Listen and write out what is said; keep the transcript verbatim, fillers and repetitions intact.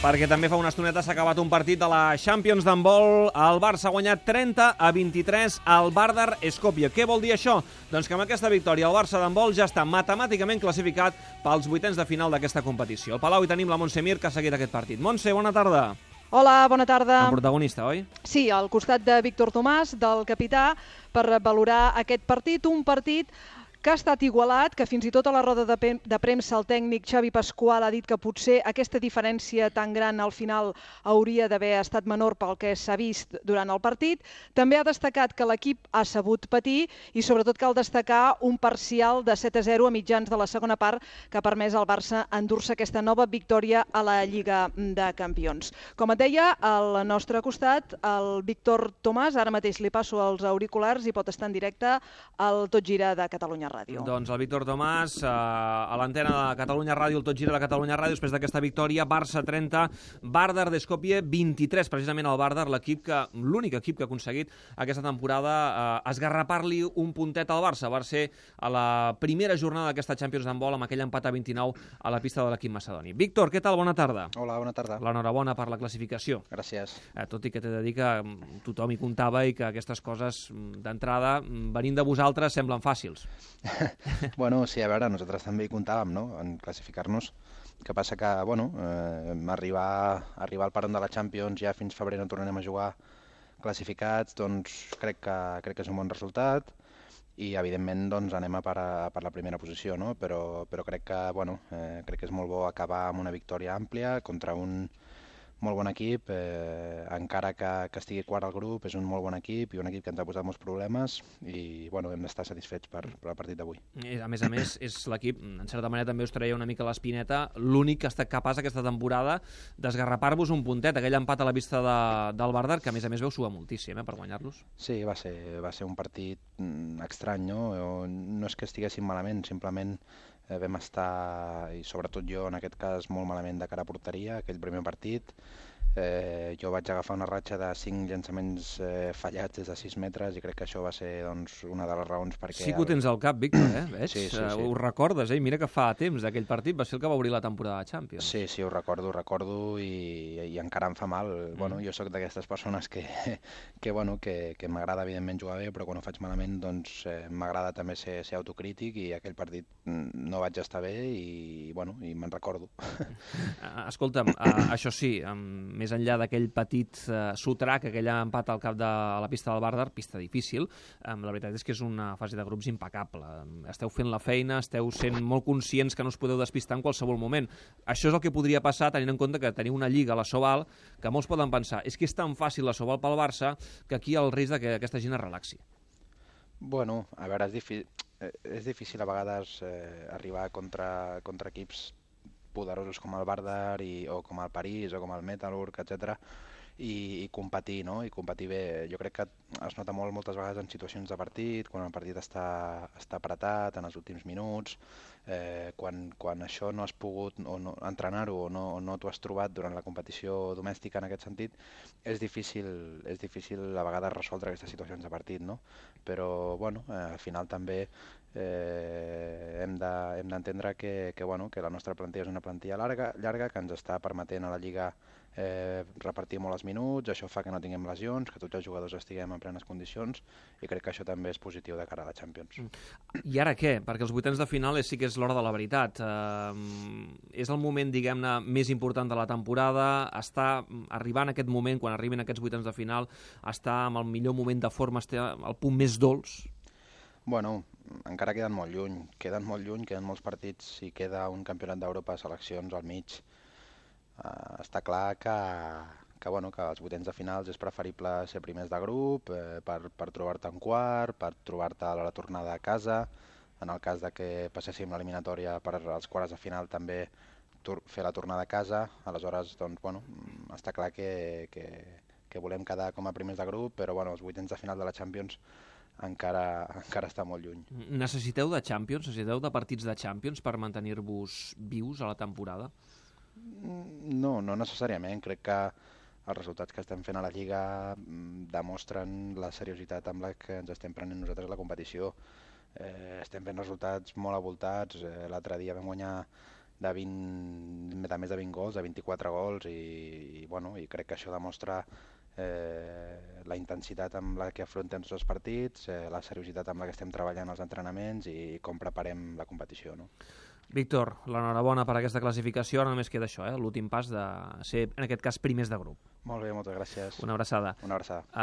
perquè també fa una estoneta s'ha acabat un partit de la Champions d'handbol. El Barça ha guanyat trenta a vint-i-tres al Vardar Skopje. Què vol dir això? Doncs que amb aquesta victòria el Barça d'handbol ja està matemàticament classificat pels vuitens de final d'aquesta competició. Al Palau hi tenim la Montse Mir, que ha seguit aquest partit. Montse, bona tarda. Hola, bona tarda. El protagonista, oi? Sí, al costat de Víctor Tomàs, del capità, per valorar aquest partit, un partit que ha estat igualat, que fins i tot a la roda de, de premsa el tècnic Xavi Pasqual ha dit que potser aquesta diferència tan gran al final hauria d'haver estat menor pel que s'ha vist durant el partit. També ha destacat que l'equip ha sabut patir i sobretot cal destacar un parcial de set a zero a mitjans de la segona part que ha permès al Barça endur-se aquesta nova victòria a la Lliga de Campions. Com et deia, al nostre costat, el Víctor Tomàs, ara mateix li passo els auriculars i pot estar en directe al Tot Gira de Catalunya Ràdio. Doncs el Víctor Tomàs, eh, a l'antena de Catalunya Ràdio, el Tot Gira de Catalunya Ràdio, després d'aquesta victòria, Barça trenta, Vardar Skopje vint-i-tres, precisament el Vardar, l'equip que, l'únic equip que ha aconseguit aquesta temporada eh, esgarrapar-li un puntet al Barça. Va ser a la primera jornada d'aquesta Champions d'handbol amb aquell empat a vint-i-nou a la pista de l'equip macedoni. Víctor, què tal? Bona tarda. Hola, bona tarda. L'enhorabona per la classificació. Gràcies. Eh, tot i que t'he de dir que tothom hi comptava i que aquestes coses d'entrada, venint de vosaltres, semblen fàcils. Bueno, sí, a veure, nosaltres també hi comptàvem, no?, en classificar-nos. El que passa que, bueno, eh, arribar, arribar al parón de la Champions, ja fins febrer no tornarem a jugar classificats, doncs crec que, crec que és un bon resultat i, evidentment, doncs anem a per, a, per la primera posició, no? Però, però crec que, bueno, eh, crec que és molt bo acabar amb una victòria àmplia contra un molt bon equip, eh, encara que, que estigui quart al grup, és un molt bon equip i un equip que ens ha posat molts problemes i, bueno, hem d'estar satisfets per, per el partit d'avui. A més a més, és l'equip, en certa manera també us treia una mica l'espineta, l'únic que ha estat capaç aquesta temporada d'esgarrapar-vos un puntet, aquell empat a la vista de, del Vardar, que a més a més veu suar moltíssim eh, per guanyar-los. Sí, va ser, va ser un partit estrany, no? No és que estiguéssim malament, simplement eh, vam estar, i sobretot jo en aquest cas, molt malament de cara a porteria, aquell primer partit. Eh, jo vaig agafar una ratxa de cinc llançaments eh, fallats des de sis metres i crec que això va ser, doncs, una de les raons perquè... Sí que ho tens al cap, Víctor, eh? Veig? Sí, sí, sí. Uh, ho recordes, eh? Mira que fa temps d'aquell partit, va ser el que va obrir la temporada de Champions. Sí, sí, ho recordo, ho recordo i, i encara em fa mal. Mm. Bueno, jo sóc d'aquestes persones que, que, bueno, que, que m'agrada evidentment jugar bé, però quan ho faig malament doncs eh, m'agrada també ser, ser autocrític i aquell partit no vaig estar bé i, bueno, i me'n recordo. Uh, escolta'm, uh, això sí, um, més enllà d'aquell petit uh, sotrac, aquell empat al cap de la pista del Vardar, pista difícil, um, la veritat és que és una fase de grups impecable. Um, esteu fent la feina, esteu sent molt conscients que no us podeu despistar en qualsevol moment. Això és el que podria passar tenint en compte que teniu una lliga a la Sobal que molts poden pensar és que és tan fàcil la Sobal pel Barça que aquí hi ha el risc de que aquesta gent es relaxi. Bueno, a veure, és, difi és difícil a vegades eh, arribar contra, contra equips poderosos com el Vardar i, o com el París o com el Metalurg, etcètera, i, i competir, no? I competir bé. Jo crec que es nota molt moltes vegades en situacions de partit, quan el partit està, està apretat en els últims minuts, eh, quan, quan això no has pogut o no, entrenar-ho o no, o no t'ho has trobat durant la competició domèstica en aquest sentit, és difícil, és difícil a vegades resoldre aquestes situacions de partit, no? Però, bueno, eh, al final també Eh, hem d'entendre de, que, que, bueno, que la nostra plantilla és una plantilla llarga, llarga que ens està permetent a la Lliga eh, repartir molt els minuts, això fa que no tinguem lesions, que tots els jugadors estiguem en plenes condicions i crec que això també és positiu de cara a la Champions. I ara què? Perquè els vuitens de final sí que és l'hora de la veritat. Eh, és el moment, diguem-ne, més important de la temporada, està arribant aquest moment, quan arribin aquests vuitens de final, està en el millor moment de forma, està al punt més dolç? Bueno, encara queden molt lluny, queden molt lluny, queden molts partits i queda un campionat d'Europa de seleccions al mig. Uh, està clar que, que, bueno, que als vuitens de finals és preferible ser primers de grup eh, per, per trobar-te en quart, per trobar-te a la tornada a casa. En el cas de que passéssim l'eliminatòria per als quarts de final també fer la tornada a casa. Aleshores, doncs, bueno, està clar que, que, que volem quedar com a primers de grup, però bueno, els vuitens de final de la Champions encara, encara està molt lluny. Necessiteu de Champions? Necessiteu de partits de Champions per mantenir-vos vius a la temporada? No, no necessàriament. Crec que els resultats que estem fent a la Lliga demostren la seriositat amb la que ens estem prenent nosaltres la competició. Eh, estem fent resultats molt avoltats. Eh, L'altre dia vam guanyar de, vint, de més de vint gols, de vint-i-quatre gols, i, i, bueno, i crec que això demostra eh, la intensitat amb la que afrontem tots els partits, eh, la seriositat amb la que estem treballant els entrenaments i com preparem la competició, no? Víctor, l'enhorabona per aquesta classificació. Ara només queda això, eh? L'últim pas de ser, en aquest cas, primers de grup. Molt bé, moltes gràcies. Una abraçada. Una abraçada. Uh,